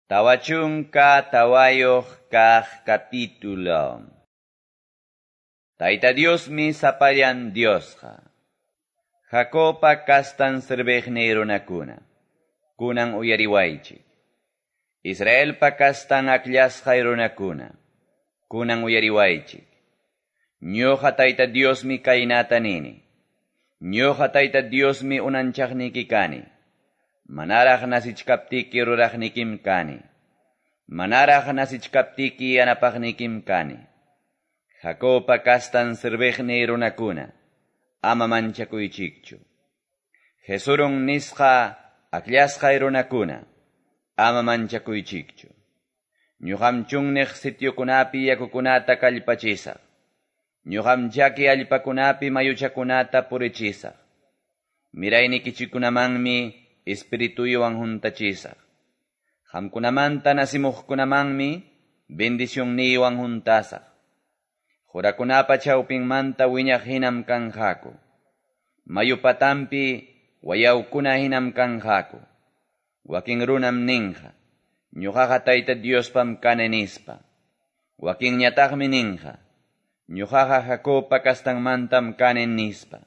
44 kaq capítulo. Tayta Diosmi sapallan Diosqa. Jacobpa kastan serviqniy runakuna, kunan uyariwaychik. Israelpa kastan akllasqay runakuna, kunan uyariwaychik. Ñuqa Tayta Diosmi kaynata nini. Ñuqa Tayta Diosmi unanchaqniki kani. Manaraq nasichkaptiki ruraqnikim kani. Manaraq nasichkaptiki yanapaqnikim kani. Jacobpa kastan serviqniy runakuna, ama manchakuychikchu. Jesurun nisqa akllasqay runakuna, ama manchakuychikchu. Ñuqam chunniq sitiokunapi yakukunata kallpachisaq. Ñuqam chaki allpakunapi mayuchakunata purichisaq. Miraynikichikunamanmi espirituywan huntachisaq. Qamkunamanta nasimuqkunamanmi bendicionniywan huntasaq. Qurakunapa chawpinmanta wiñaq hinam kanqaku. Mayu patampi wayawkuna hinam kanqaku. Wakin runam ninqa, ñuqaqa Tayta Diospam kani nispa. Wakinñataqmi ninqa, ñuqaqa Jacobpa kastanmantam kani nispa.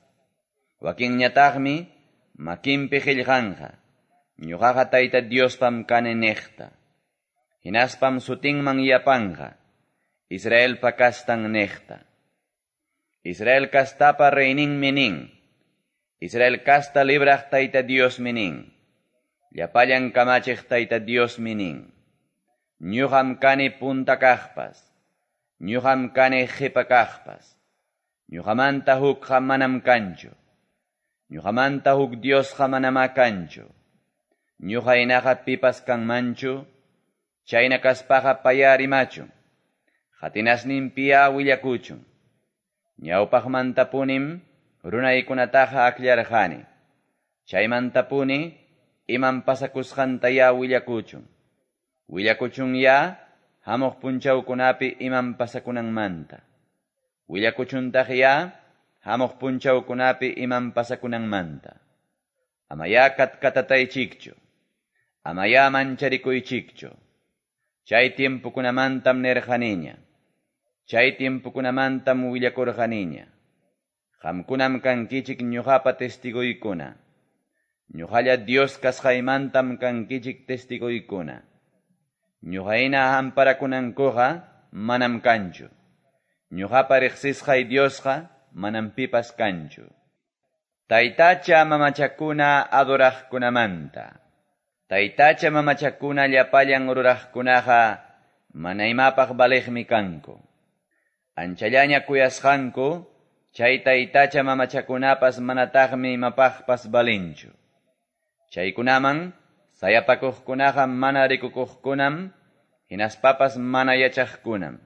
Wakinñataqmi makinpi qillqanqa, ñuqaqa Tayta Diospam kani niqta. Hinaspam sutinman yapanqa, Israelpa kastan niqta. Israel kastapa reyninmi nin, Israel kasta libraq Tayta Diosmi nin, llapallan kamachiq Tayta Diosmi nin. Ñuqam kani punta kaqpas, ñuqam kani qipa kaqpas, ñuqamanta hukqa manam kanchu, ñuqamanta huk Diosqa manamá kanchu. Ñuqa hinaqa pipas kanmanchu, chayna kaspaqa paya rimachun, qatinasninpiya willakuchun. Ñawpaqmantapunim runaykunataqa akllarqani, chaymantapuni imam pasakusqantaya willakuchun. Willakuchunya hamuq punchawkunapi imam pasakunanmanta. Willakuchuntaqya hamuq punchawkunapi imam pasakunanmanta. Amaya katkatataychikchu, amaya mancharikuychikchu. Chay tiempokunamantam nirqaniña, chay tiempokunamantam willakurqaniña. Qamkunam kankichik ñuqapa testigoykuna. Ñuqalla Dios kasqaymantam kankichik testigoykuna. Ñuqayna amparakunankuqa manam kanchu. Ñuqapa riqsisqay Diosqa manam pipas kanchu. Taytacha mamachakuna adoraqkunamanta. Taytacha mamachakuna llapallan ruraqkunaqa mana imapaq valiqmi kanku. Anchallaña kuyasqanku, chay taytacha mamachakunapas manataqmi imapaqpas valinchu. Chaykunaman sayapakuqkunaqa mana rikukuqkunam, hinaspapas mana yachaqkunam.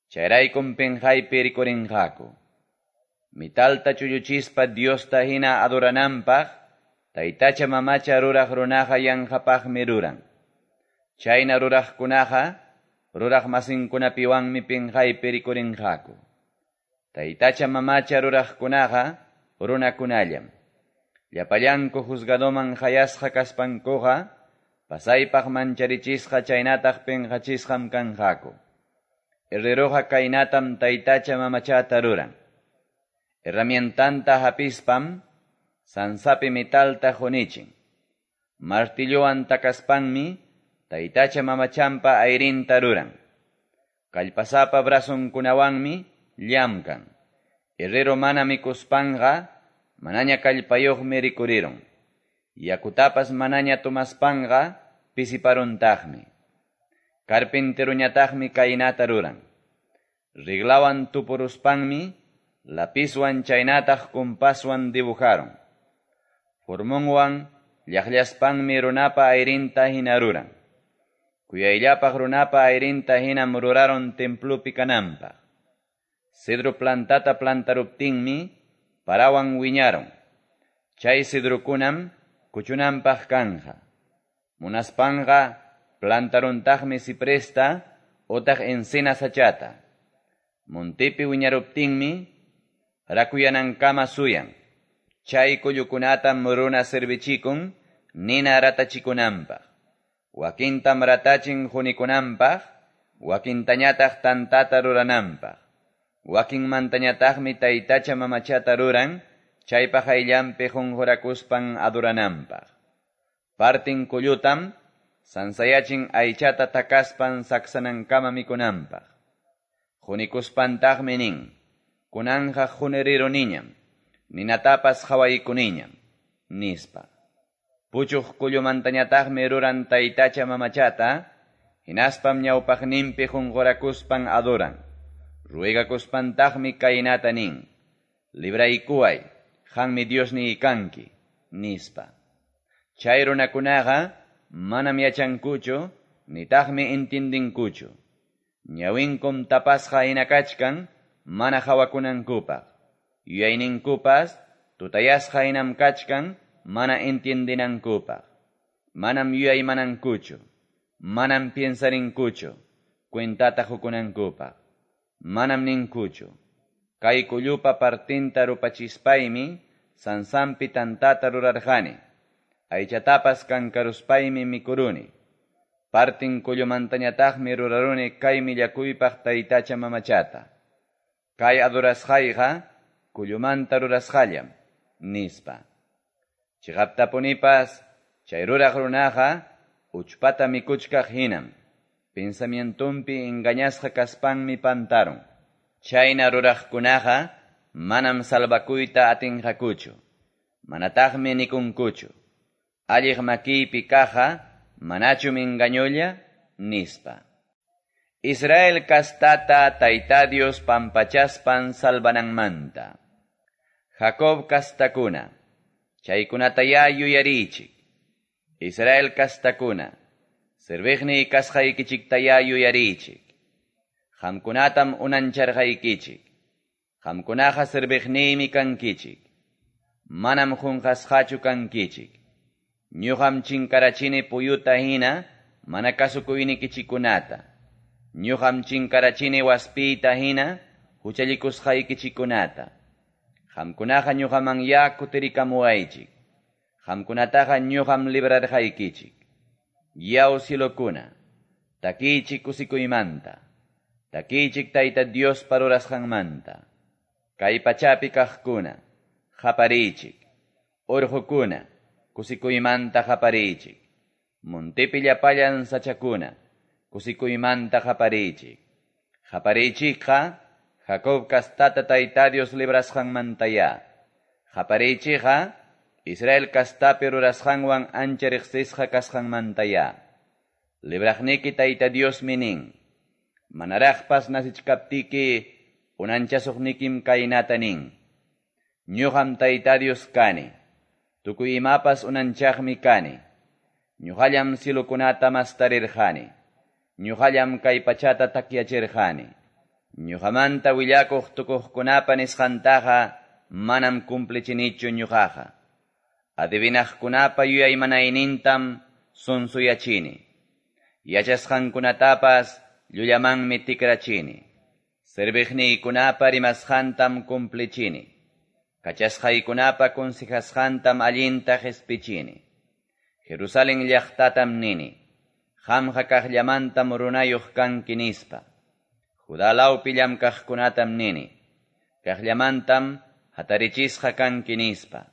Chayraykum pinqaypi rikurinqaku. Mitalta chulluchispa Diosta hina adorananpaq, taytacha mamacha ruraq runaqa yanqapaqmi ruran. Chayna ruraqkunaqa ruraq masinkunapiwanmi pinqaypi rikurinqaku. Taytacha mamacha ruraqkunaqa runakunallam. Llapallanku juzgadoman hayasqa kaspankuqa, pasaypaq mancharichisqa chaynataq pinqachisqam kanqaku. Herreroqa kaynatam taytacha mamachata ruran. Herramientanta hapispam, sansapi metalta hunichin. Martillowan takaspanmi, taytacha mamachampa ayrinta ruran. Kallpasapa brazonkunawanmi llamkan. Herrero mana mikuspanqa, manaña kallpayuqmi rikurirun. Yakutapas manaña tomaspanqa, pisiparuntaqmi. Carpinteruñataqmi kaynata ruran. Riglawan tupuruspanmi, lapizwan chaynataq compaswan dibujaron. Formonwan llaqllaspanmi runapa ayrinta hina ruran. Kuyayllapaq runapa ayrinta hinam ruraron templupi kananpaq. Cedro plantata plantaruptinmi, parawan wiñaron. Chay cedrokunam kuchunanpaq kanja. Munaspanqa plantaruntaqmi cipresta otaq encina sachata. Montepi wiñaruptinmi rakuyanankama suyan. Chay kullukunatam runa servichikun nina ratachikunanpaq. Wakintam ratachin qunikunanpaq, wakintañataq tantata rurananpaq. Wakinmantañataqmi taytacha mamachata ruran, chaypa qayllanpi qunqurakuspan adorananpaq. Partin kullutam sansayachin aychata takaspan saksanankama mikunanpaq. Qunikuspantaqmi nin, kunanja quniriruniñam, ninatapas qawaykuniñam, nispa. Puchuq kullumantañataqmi ruran taytacha mamachata, hinaspam ñawpaqninpi qunqurakuspan adoran. Ruegakuspantaqmi kaynata nin, libraykuway, qanmi Diosniy kanki, nispa. Chay runakunaqa manam yachankuchu, nitaqmi intindinkuchu. Ñawinkum tapasqa hina kachkan, mana hawakunankupaq. Yuyayninkupas tutayasqa hinam kachkan, mana entiendinankupaq. Manam yuyaymanankuchu, manam piensarinkuchu, cuentata hukunankupaq. Manam ninkuchu. Kay kullupa partinta rupachispaymi, sansampi tantata rurarqani. Aychatapas kankaruspaymi mikuruni. Partin kullumantañataqmi ruraruni kay millakuypaq taytacha mamachata. Kay adorasqayqa kullumanta rurasqallam, nispa. Chiqaptapunipas chay ruraq runaqa uchpata mikuchkaq hinam. Pensamientumpi engañasqa kaspanmi pantarun. Chayna ruraqkunaqa manam salvakuyta atinqakuchu. Manataqmi nikunkuchu. Alliq makiypi kaqa manachum engañolla, nispa. Israel kastata Tayta Dios pampachaspan salvananmanta. Jacob kastakuna, chaykunataya yuyarichik. Israel kastakuna, serviqniy kasqaykichiktaya yuyarichik. Qamkunatam unancharqaykichik. Qamkunaqa serviqniymi kankichik. Manam qunqasqachu kankichik. Ñuqam chinkarachini puyuta hina mana kasukuynikichikunata. Ñuqam chinkarachini waspiyta hina huchallikusqaykichikunata. Qamkunaqa ñuqaman ya kutirikamuwaychik. Qamkunataqa ñuqam librarqaykichik. Yaw cielokuna, takiychik kusikuymanta. Takiychik Tayta Diospa rurasqanmanta. Kay pachapi kaqkuna, qapariychik. Urqukuna, kusikuymanta qapariychik. Montepi llapallan sachakuna, kusikuymanta qapariychik. Qapariychikqa Jacob kastata Tayta Dios librasqanmantaya. Qapariychikqa Israel kastapi rurasqanwan ancha riqsisqa kasqanmantaya. Libraqniki Tayta Diosmi nin, manaraqpas nasichkaptiki unanchasuqnikim kaynata nin. Ñuqam Tayta Dios kani, tukuy imapas unanchaqmi kani. Ñuqallam cielokunata mastarirqani. Ñuqallam kay pachata takyachirqani. Ñuqamanta willakuq tukuqkunapa nisqantaqa manam cumplichinichu ñuqaqa. Adivinaqkunapa yuyaymanaynintam sunsuyachini. Yachasqankunatapas llullamanmi tikrachini. Serviqniykunapa rimasqantam cumplichini. Kachasqaykunapa consejasqantam allinta qhispichini. Jerusalén llaqtatam nini, qamqa kaqllamantam runayuq kanki nispa. Judá lawpi llamkaqkunatam nini, kaqllamantam hatarichisqa kanki nispa.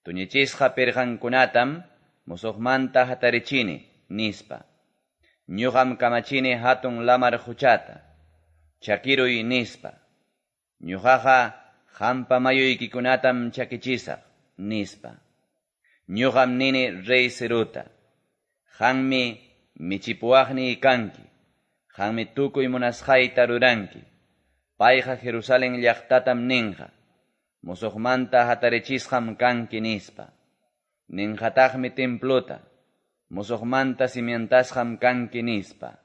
Tuñichisqa pirqankunatam musuqmanta hatarichini nispa. Ñuqam kamachini hatun lamar quchata, chakiruy nispa. Ñuqaqa qampa mayuykikunatam chakichisaq nispa. Ñuqam nini rey Ciruta, qanmi michipuwaqniy kanki, qanmi tukuy munasqayta ruranki. Payqa Jerusalén llaqtatam ninqa, musuqmanta hatarichisqam kanki nispa. Ninqataqmi templuta, musuqmanta cimientasqam kanki nispa.